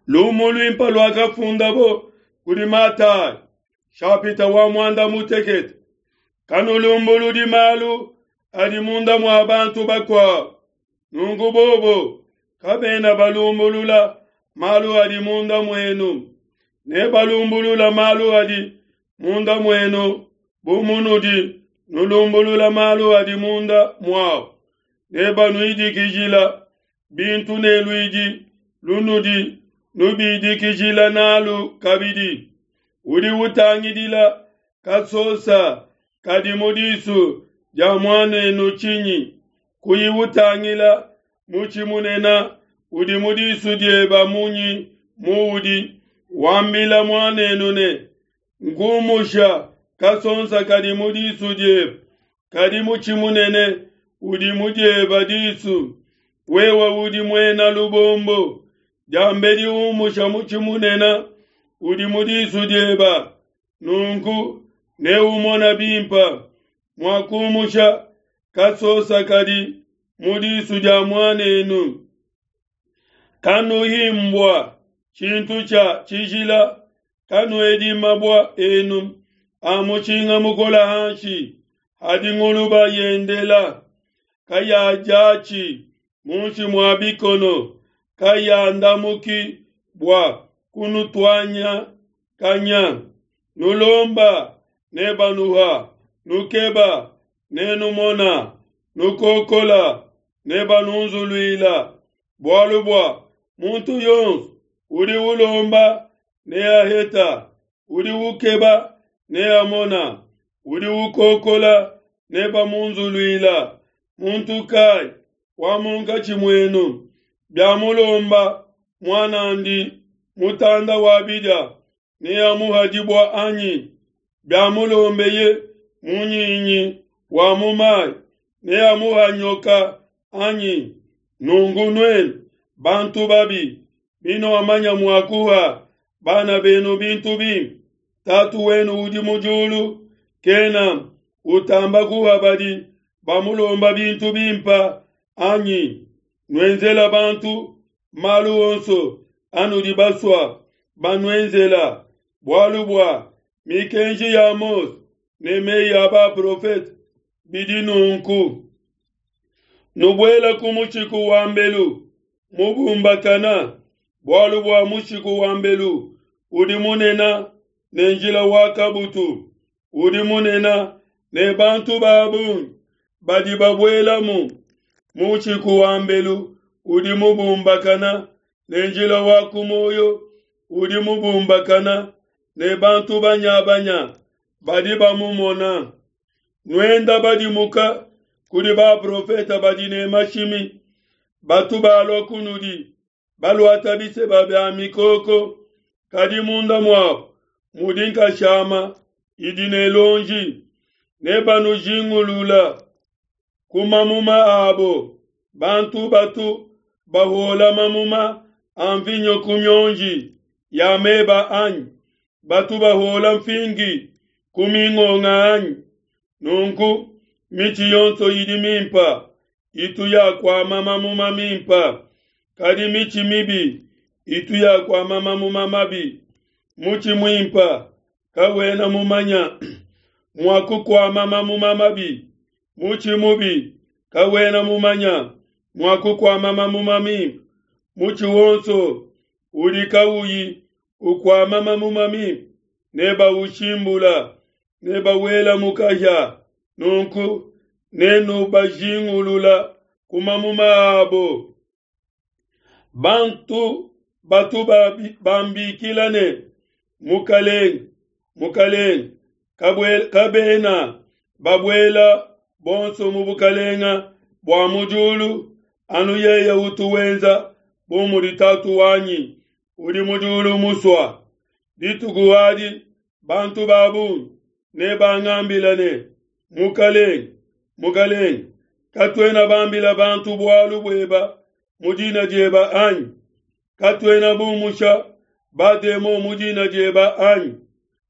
Lumu luimpe luakafundabo kudi Matayi, nshapita wa muanda mutekete. Kanulumbuludi malu adi munda mua bantu bakuabo, nunku bobo kabena balumbulula malu adi munda muenu. Nebalumbulula malu adi munda muenu bu munudi nulumbulula malu adi munda muabo. Nebanuidikijila bintu ne luidi lunudi nubidikijila nalu kabidi. Udi utangidila kasosa kadi mu disu dia muanenu tshinyi? Kuyi utangila mutshi munene udi mu disu dieba munyi muudi wambila muanenu ne, Ngumusha kasonsa kadi mu disu diebe, kadi mutshi munene udi mu dieba disu. Wewe udi muena lubombo, diambedi umusha mutshi munene udi mu disu dieba, nunku neumona bimpe mua kumusha kasosa kadi mu disu dia muanenu. Kanuhi mbua tshintu tshia tshijila, kanuedi mabua enu a mushinga mukola hanshi hadi nguluba yendela, kayadiatshi munshi mua bikono, kayandamuki bua kunutuanya kanya. Nulomba nebanuha, nukeba nenumona, nukokola nebanunzuluila. Bualu bua muntu yonso udi ulomba neaheta, udi ukeba neamona, udi ukokola nebamunzuluila. Muntu kai wa munkatshi muenu biamulomba muan'andi mutanda wa bidia, neamuha dibua anyi? Biamulombeye munyinyi wa mu mai, neamuha nyoka anyi? Nunku nuenu bantu babi, binuamanya mua kuha bana benu bintu bimpe, Tatu wenu udi mu diulu kena utamba kuha badi bamulomba bintu bimpe anyi? Nuenzela bantu malu onso anudi basua banuenzela, bualu bua mikenji ya Mose ne meyi a baprofete bidi nunku. Nubuela ku mushiku wa mbelu mubumbakana, bualu bua mushiku wa mbelu udi munene ne njila wa kabutu udi munene ne bantu ba bungi badi babuelamu. Mushiku wa mbelu udi mubumbakana ne njila wa ku muoyo udi mubumbakana ne bantu banyabanya badi bamumona. Nuenda badimuka kudi baprofete badi ne mashimi, batu balua kunudi baluata biseba bia mikoko, kadi munda muabo mudi nkashama idi ne luonji. Nebanujingulula ku mamuma abo. Bantu batu bahuola mamuma a mvinyo ku mionji ya meba anyi? Batu bahuola mfingi ku mingonga anyi? Nunku mitshi yonso idi mimpe itu yakuama mamuma mimpe, kadi mitshi mibi itu yakuama mamuma mabi. Mutshi muimpe kawena mumanya mua kukuama mamuma mabi, mutshi mubi kawena mumanya mua kukuama mamuma mimpe. Mutshi wonso udi kawuyi ukuama mamuma mimpe nebawushimbula, nebawela mu kahia. Nunku nenubajingulula ku mamuma abo. Bantu batu bambikila ne, Mukalenge, Mukalenge, kabena babuela bonso mu bukalenga bua mu diulu, anu yeye utu wenza bu mudi Tatu wanyi udi mu diulu musua. Dituku adi bantu ba bungi nebangambila ne, Mukalenge, Mukalenge, katuena bambila bantu bualu bueba mu dina dieba anyi? Katuena bumusha bademon mu dina dieba anyi?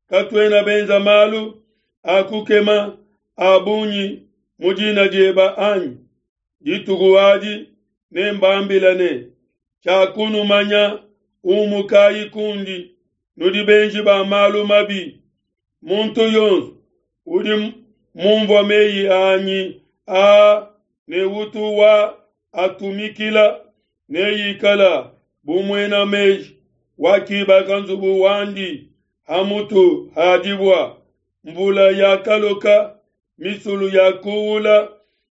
Katuena benza malu a kukema a bungi mu dina dieba anyi? Dituku adi nembambila ne, Tshiakunumanya. Umukayi kundi, nudi benji ba malu mabi. Muntu yonso udi mumvua meyi anyi aa ne utu wa atumikila neikala bu muena meji wakibaka nzubu wandi ha mutu ha dibua. Mvula yakaloka, misulu yakuula,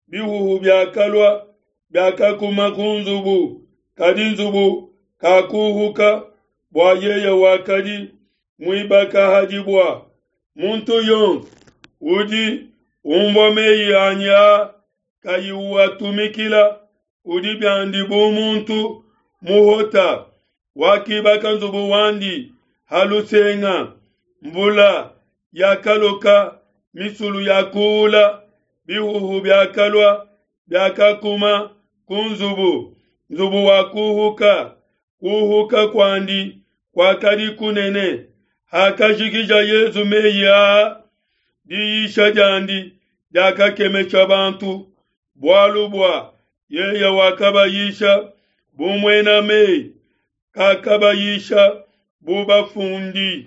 bihuhu biakalua, biakakuma ku nzubu, kadi nzubu kakuhuka, bua yeye wakadi muibaka ha dibua. Muntu yonso udi umvua meyi anyi aa kayi uatumikila, udi biandi bu muntu muhota wakibaka nzubu wandi ha lusenga. Mvula yakaloka, misulu yakuula, bihuhu biakalua, biakakuma ku nzubu, nzubu wakuhuka, kuhuka kuandi kuakadi kunene. Hakajikija Yesu meyi aa, diyisha diandi diakakemesha bantu, bualu bua yeye wakabayisha bu muena meyi, kakabayisha bu bafundi.